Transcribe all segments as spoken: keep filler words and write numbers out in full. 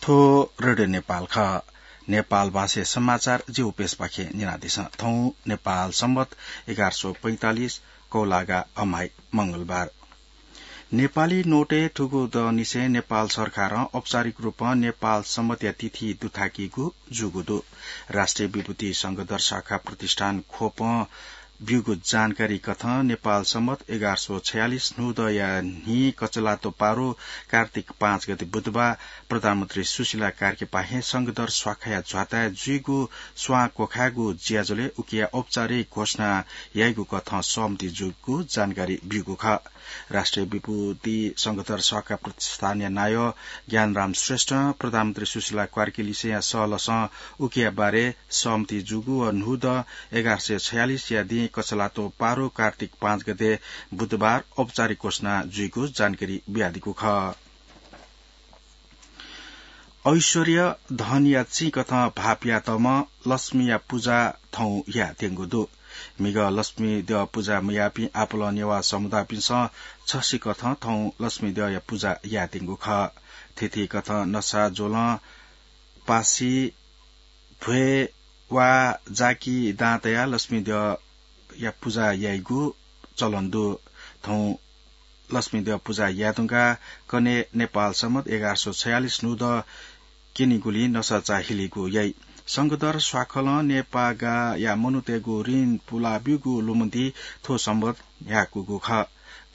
थ्व रेडियो नेपाल खः। नेपाल भाषाय् समाचार जि उपेशपाखें न्यनादिसँ। थौं नेपाल सम्बत एघार सौ पैंतालिस कौलागा अम्हाइ मंगलबार। नेपाली नोटय् थुगु दँनिसें नेपाल सरकारं औपचारिक रूपं नेपाल सम्बतया तिथि दुथाकीगु जूगु दु। राष्ट्रिय विभूति संघधर शाखा प्रतिष्ठान ख्वपं ब्यूगु जानकारी कथं नेपाल सम्बत एघार सौ छयालिस न्हूदँया न्हि कचलातो पारु कार्तिक पाँच गते बुधबार प्रधानमन्त्री सुशीला कार्कीपाखें संघधर शाखाया झ्वाताय् जुइगु स्वां क्वखायेगु ज्याझ्वलय् उकिया औपचारिक घोषणा याइगु कथं सहमति जूगु जानकारी ब्यूगु खः। राष्ट्रिय विभूति संघधर शाखा प्रतिष्ठानया नायः ज्ञानराम श्रेष्ठं प्रधानमन्त्री सुशीला कार्की लिसेंया सहलसं उकिया बारे सहमति जूगु व न्हूदँ एघार सय छयालिसया दिं कछलातो पारु कार्तिक पाँच गते बुधबार औपचारिक घोषणा जुइगु जानकारी बियादीगु खः। ऐश्वर्य धनया चिं कथं भाःपियातःम्ह लक्ष्मीया पुजा थौं यायेत्यंगु दु। म्हिगः लक्ष्मी द्यः पुजा मयाःपिं आपालं नेवाः समुदायपिन्सं छसिकथं थौं लक्ष्मी द्यःया पुजा यायेत्यंगु खः। थीथी कथं नसा ज्वलं पासी भ्वय् वा जाकि दां तयाः लक्ष्मी द्यःया पुजा याइगु चलन दु। थौं लक्ष्मी द्यः पुजा याये धुंकाः कन्हय् नेपाल सम्बत एघार सौ छयालिस न्हूदँ क्यनीगुलिं नसाचा हिलीगु याइ। संघधर स्वाखलं नेपाःगाःया मनूतय्गु ऋण पुला ब्यूगु लुमन्ति थ्व सम्बत न्ह्याकूगु खः।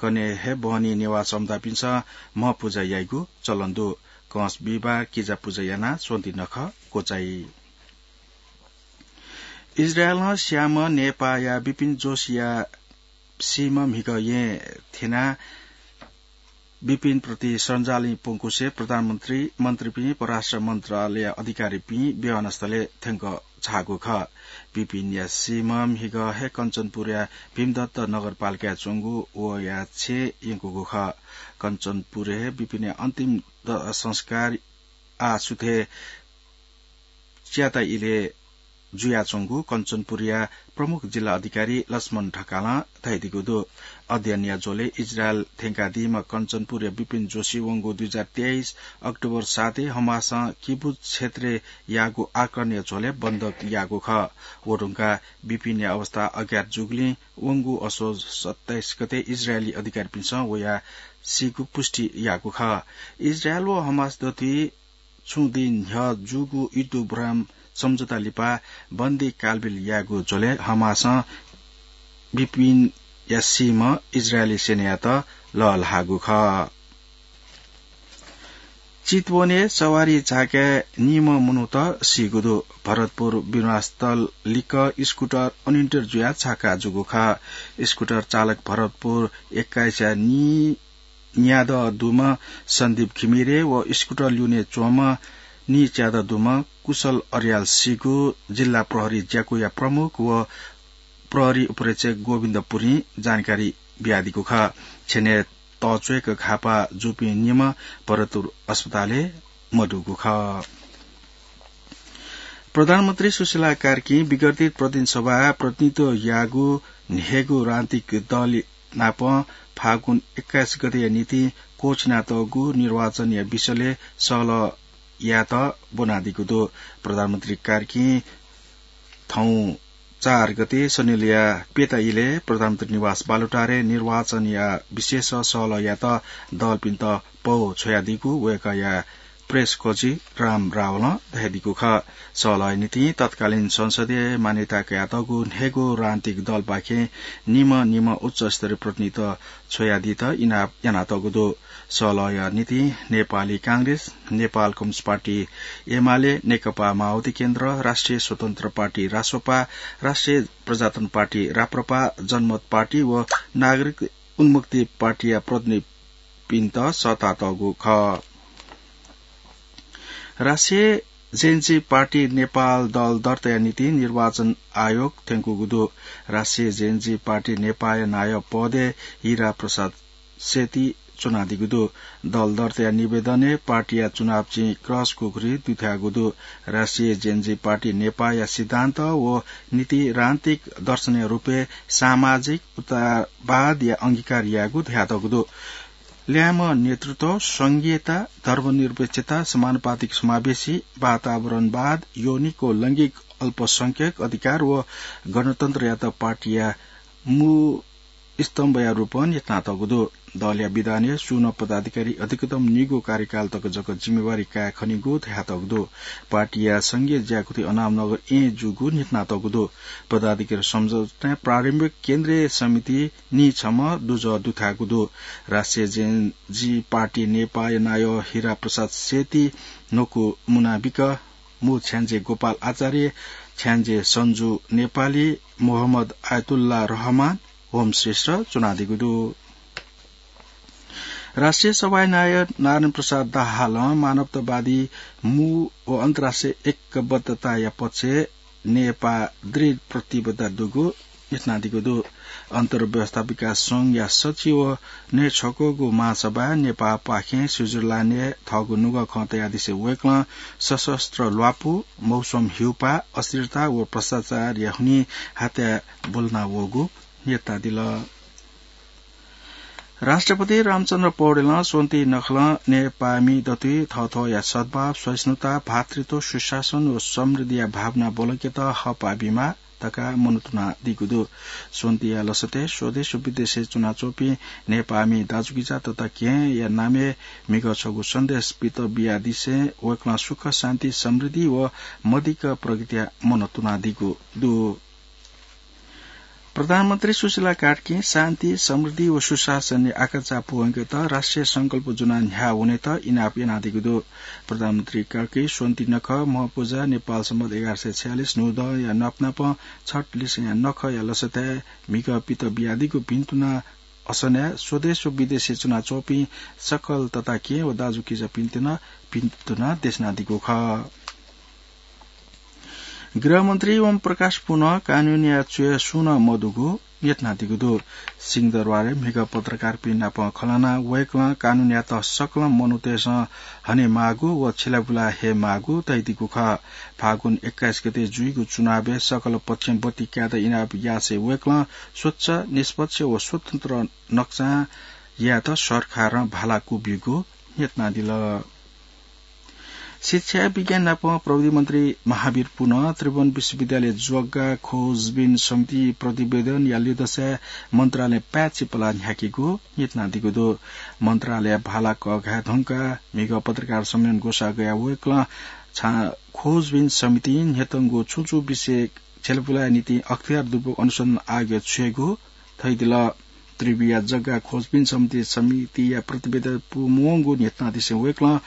कन्हय् हे बहनी नेवाः समुदायपिन्सं म्ह पुजा याइगु चलन दु। कंस बिहिबार किजा पुजा यानाः स्वन्ति नखः क्वचाइ। इजरायलं स्याःम्ह नेपाःया बिपिन जोशीया सीम्ह म्हिगः येँ थ्यनाः बिपिन प्रति श्रद्धांजलि प्वंकुसे प्रधानमन्त्री, मन्त्रीपिं, परराष्ट्र मन्त्रालय अधिकारीपिं विमानस्थलय् थ्यंक झाःगु खः। बिपिनया सीम्ह म्हिगः हे कञ्चनपुरया भीमदत्त नगरपालिकाय् च्वंगु वया छेँय् यंकूगु खः। कञ्चनपुरय् हे बिपिनया अन्तिम द-, संस्कार आः सुथय् च्याता इलय् जुयाच्वंगु कञ्चनपुरया प्रमुख जिल्ला अधिकारी लक्ष्मण ढकालं धयादीगु दु। अध्ययनया झ्वलय् इजरायल थ्यंकादीम्ह कञ्चनपुरया बिपिन जोशी वंगु दुई हजार तेइस अक्टोबर सातय् हमासं किबुत्ज क्षेत्रय् याःगु आक्रमणया झ्वलय् बन्धक याःगु खः। व धुंकाः बिपिनया अवस्था अज्ञात जूगुलिं वंगु असोज सत्ताइस गते इजरायली अधिकारीपिन्सं वया सीगु पुष्टि याःगु खः। इजरायल व हमास दथुइ छुं दिं न्ह्यः जूगु युद्ध विराम सम्झौता लिपा बन्दी कालबिल यायेगु झ्वलय् हमासं बिपिनया सीम्ह इजरायली सेनायात लःल्हाःगु खः। चितवनय् सवारी झाकाय् निम्ह मनूत सीगु दु। भरतपुर विमानस्थल लिक्क स्कुटर अनियन्त्रित जुयाः झाका जूगु खः। स्कुटर चालक भरतपुर एक्काइसया नि न्यादँ दुम्ह सन्दीप घिमिरे व स्कुटर ल्यूने च्वंम्ह निच्यादँ दुम्ह कुशल अर्याल सीगु जिल्ला प्रहरी ज्याकुया प्रमुख व प्रहरी उपरीक्षक गोविन्द पुरीं जानकारी बियादीगु खः। छ्यनय् तःच्वय्क घाःपाः जूपिं निम्ह भरतपुर अस्पतालय् मदुगु खः। प्रधानमन्त्री सुशीला कार्कीं विगर्तित प्रतिनिधि सभाय् प्रतिनिधित्व याःगु न्हय्गू राजनीतिक दल नाप फागुन एक्काइस गतेया निंतिं क्वःछिनातःगु निर्वाचनया विषयलय् सहलह यायेत ब्वनादीगु दु। प्रधानमन्त्री कार्कीं थौं चार गते शनिलया प्यता इलय् प्रधानमन्त्री निवास बालुटारय् निर्वाचनया विषयय् सहलह यायेत दलपिन्त पौ छ्वयादीगु वय्कःया प्रेस कोची राम रावलं धयादीगु खः। सहलहया निंतिं तत्कालीन संसदय् मान्यता कयातःगु न्हय्गू राजनीतिक दलपाखें निम्ह निम्ह उच्चस्तरीय प्रतिनिधित छ्वयादीत इनाप यानातःगु दु। सहलहया निंतिं नेपाली कांग्रेस, नेपाल कम्युनिस्ट पार्टी एमाले, नेकपा माओवादी केन्द्र, राष्ट्रिय स्वतन्त्र पार्टी रासोपा, राष्ट्रिय प्रजातन्त्र पार्टी राप्रपा, जनमत पार्टी व नागरिक उन्मुक्ति पार्टीया प्रतिनिधिपिन्त सःतातःगु खः। राष्ट्रिय जेएनजी पार्टी नेपाल दल दर्ताया निंतिं निर्वाचन आयोग थ्यंकूगु दु। राष्ट्रिय जेएनजी पार्टी नेपालया नायः पदय् हिरा प्रसाद सेती च्वनादीगु दु। दल दर्ताया निवेदनय् पार्टीया चुनाव चिं क्रस खुकुरी दुथ्याःगु दु। राष्ट्रिय जेएनजी पार्टी नेपालया सिद्धान्त व नीति राजनीतिक दर्शनया रूपय् सामाजिक उदारवादया अंगीकार याःगु धयातःगु दु। ल्याय्म्ह नेतृत्व, संघीयता, धर्मनिरपेक्षता, समानुपातिक समावेशी, वातावरणवाद, यौनिक व लैंगिक अल्पसंख्यक अधिकार व गणतन्त्रयात पार्टीया मू स्तम्भया रूपं न्ह्यथनातःगु दु। दलया विधानय् सुं नं पदाधिकारी अधिकतम निगू कार्यकाल तक जक जिम्मेवारी काये खनीगु धयातःगु दु। पार्टीया संघीय ज्याकुथि अनामनगर एँ जूगु न्ह्यथनातःगु दु। पदाधिकारी सम्झौताय् प्रारम्भिक केन्द्रीय समिति नीछम्ह दुजः दुथ्याःगु दु। राष्ट्रिय जेन जी पार्टी नेपाःया नायः हिरा प्रसाद सेती न्वकू मुनाबिक, मू छ्याञ्जे गोपाल आचार्य, छ्याञ्जे सन्जु नेपाली, मोहम्मद आयतुल्ला रहमान होमश्रेष्ठ च्वनादीगु दु। राष्ट्रिय सभाया नायः नारायण प्रसाद दाहालं मानवतावादी मू व अन्तर्राष्ट्रिय एकबद्धताया पक्षय् नेपाः दृढ प्रतिबद्धता दुगु न्ह्यथनादीगु दु। अन्तर्व्यवस्था विकास संघया सचिव व न्हय्छक्वःगु महासभाय् नेपाःपाखें स्विजरल्याण्डय् थःगु नुगः खँ तयादिसें वय्कलं सशस्त्र ल्वापु, मौसम हिउपाः, अस्थिरता व भ्रष्टाचारया हुनिं हातय् ब्वलना वःगु न्ह्यथनादिल। राष्ट्रपति रामचन्द्र पौडेलं स्वन्ति नखलं नेपाःमि दथुइ थःथःया सद्भाव, सहिष्णुता, भातृत्व, सुशासन व समृद्धिया भावना ब्वलंकेत हःपाः बीमाः धकाः मनंतुनादीगु दु। स्वन्तिया लसतय् स्वदेश व विदेशय् च्वनाच्वंपिं नेपाःमि दाजुकिजा तथा केहेँया नामय् म्हिगः छगू सन्देश पित बियादिसें वय्कलं सुख, शान्ति, समृद्धि व मदिक्क प्रगतिया मनंतुनादीगु दु। प्रधानमन्त्री सुशीला कार्कीं शान्ति, समृद्धि व सुशासनया आकांक्षा पूवंकेत राष्ट्रिय संकल्प ज्वनाः न्ह्याः वनेत इनाप यानादीगु दु। प्रधानमन्त्री कार्की स्वन्ति नखः, म्हपुजा, नेपाल सम्बत एघार सय छयालिस न्हूदँया नापनापं छठ लिसेंया नखःया लसतय् म्हिगः पित बियादीगु भिन्तुना असनय् स्वदेश व विदेशय् च्वनाच्वंपिं सकल तताकेहेँ व दाजुकिजापिन्त नं भिन्तुना देछानादीगु खः। गृहमन्त्री ओम प्रकाश पुनं कानूनया च्वय् सुं नं मदुगु न्ह्यथनादीगु दु। सिंहदरबारय् म्हिगः पत्रकारपिं नाप खँ ल्हानाः वय्कलं कानूनयात सकल मनूतय्सं हनेमाःगु व छिलाबुला हयेमाःगु धयादीगु खः। फागुन एक्काइस गते जुइगु चुनावय् सकल पक्षं बत्ती कायेत इनाप यासें वय्कलं स्वच्छ, निष्पक्ष व स्वतन्त्र नकसां यायेत सरकारं भाला क्वब्यूगु न्ह्यथनादिल। शिक्षा, विज्ञान नाप प्रविधि मन्त्री महावीर पुनं त्रिभुवन विश्वविद्यालय जग्गा खोजबिन समिति प्रतिवेदनया लिधंसाय् मन्त्रालयं पाय्छि पलाः न्ह्याकेगु न्ह्यथनादीगु दु। मन्त्रालयया भाला कःघाये धुंकाः म्हिगः पत्रकार सम्मेलन ग्वसाः गयाः वय्कलं छां खोजबिन समितिं न्ह्यतंगु छुं छुं विषय छिलाबुलाया निंतिं अख्तियार दुगु अनुसन्धान आयोगय् छ्वयेगु धयादिल। त्रिभुवनया जग्गा खोजबिन समिति समितिया प्रतिवेदन पूमवंगु न्ह्यथनादिसें वय्कलं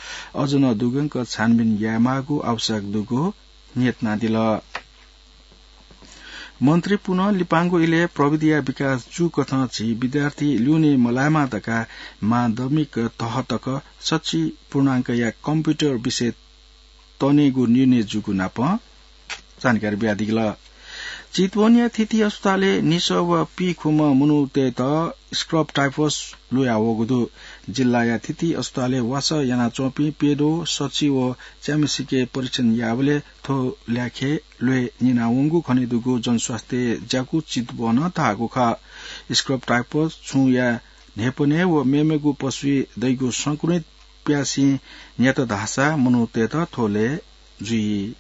अझ नं दुग्यंक छानबिन यायेमाःगु आवश्यक दुगु न्ह्यथनादिल। मन्त्री पुनं लिपांगु इलय् प्रविधिया विकास जूकथं झी विद्यार्थी ल्यूने मलायेमा धकाः माध्यमिक तह तक सच्छि पूर्णांकया कम्प्युटर विषय तनेगु निर्णय जूगु नाप जानकारी बियादिल। चितवनया थीथी अस्पतालय् निसः व पीखुम्ह मनूतय्त स्क्रब टाइफस लुयावःगु दु। जिल्लाया थीथी अस्पतालय् वासः यानाच्वंपिं प्यद्वः, सच्छि व च्याम्हसिके परीक्षण याःबलय् थ्व ल्याखय् ल्वय् न्यनावंगु खनेदुगु जनस्वास्थ्य ज्याकू चितवनं धाःगु खः। स्क्रब टाइफस छुंया न्हाय्पनय् व मेमेगु पशुइ दइगु संक्रमित प्यासें न्यात धाःसा मनूतय्त थ्व ल्वय् जुइ।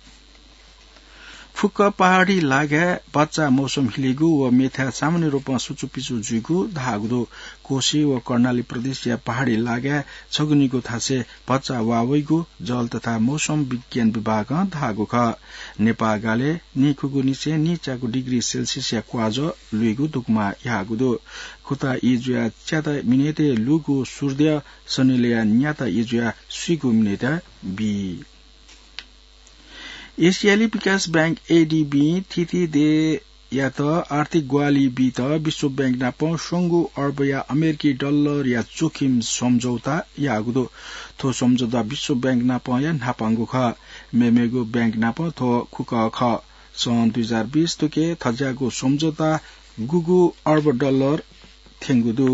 फुक्क पहाडी लागाय् भचा मौसम हिलेगु व मेथाय् सामान्य रूपं सुचुपिचु जुइगु धाःगु दु। कोशी व कर्णाली प्रदेशया पहाडी लागाय् छगू निगू थासय् भचा वा वइगु जल तथा मौसम विज्ञान विभागं धाःगु खः। नेपाः गालय् नीखुगू निसें नीच्यागू डिग्री सेल्सियसया क्वाजः लुइगु दुगुमा याःगु दु। खुता ई जुयाः च्याता मिनेतय् लूगु सूर्य सनिलया न्याता ई जुयाः स्वीगू मिनेतय् बी। एसियाली विकास बैंक, एडीबीं थीथी देय्‌यात आर्थिक ग्वाहालि बीत विश्व बैंक नाप स्वंगू अर्बया अमेरिकी डलरया जोखिम सम्झौता याःगु दु। थ्व सम्झौता विश्व बैंक नापया न्हापांगु खः। मेमेगु बैंक नाप थ्व खुकः खः। सन् दुई हजार बिस थुके थज्याःगु सम्झौता गुगु अर्ब डलर थ्यंगु दु।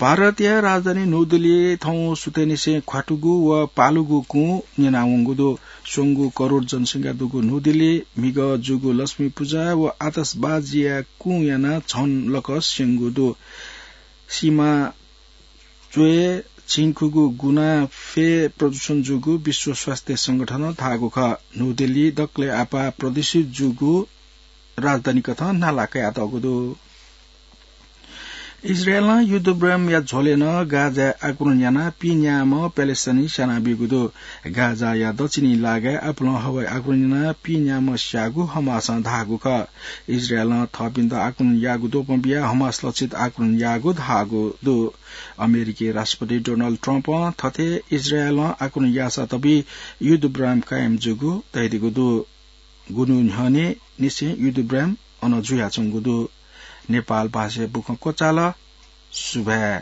भारतया राजधानी न्यू दिल्लीइ थौं सुथय्‌निसें ख्वातुगु व पालुगु कुँ न्यनावंगु दु। स्वंगू करोड जनसंख्या दुगु न्यू दिल्लीइ म्हिगः जूगु लक्ष्मी पुजा व आतशबाजीया कुँ यानाः झन लकः स्यंगु दु। सीमा च्वय् झिंखुगू गुणा फय् प्रदूषण जूगु विश्व स्वास्थ्य संगठनं धाःगु खः। न्हू दिल्ली दकलय् आपाः प्रदूषित जूगु राजधानी कथं नाला कयातःगु दु। इजरायलं युद्ध विरामया झ्वलय् नं गाजाय् आक्रमण यानाः पीन्याम्ह प्यालेस्टाइनी स्यानाबीगु दु। गाजाया दच्छि इलाकाय् आपालं हवाई आक्रमण यानाः पीन्याम्ह स्याःगु हमासं धाःगु खः। इजरायलं थःपिन्त आक्रमण याःगु द्वपं बियाः हमास लक्षित आक्रमण याःगु धाःगु दु। अमेरिकी राष्ट्रपति डोनाल्ड ट्रम्पं थथे इजरायलं आक्रमण याःसा तबि युद्ध विराम कायम जूगु धयादीगु दु। गुन्हु न्ह्यःने निसें युद्ध विराम अन जुयाच्वंगु दु। नेपाल भाषाय् बुखँ क्वचाल। सुभाय्।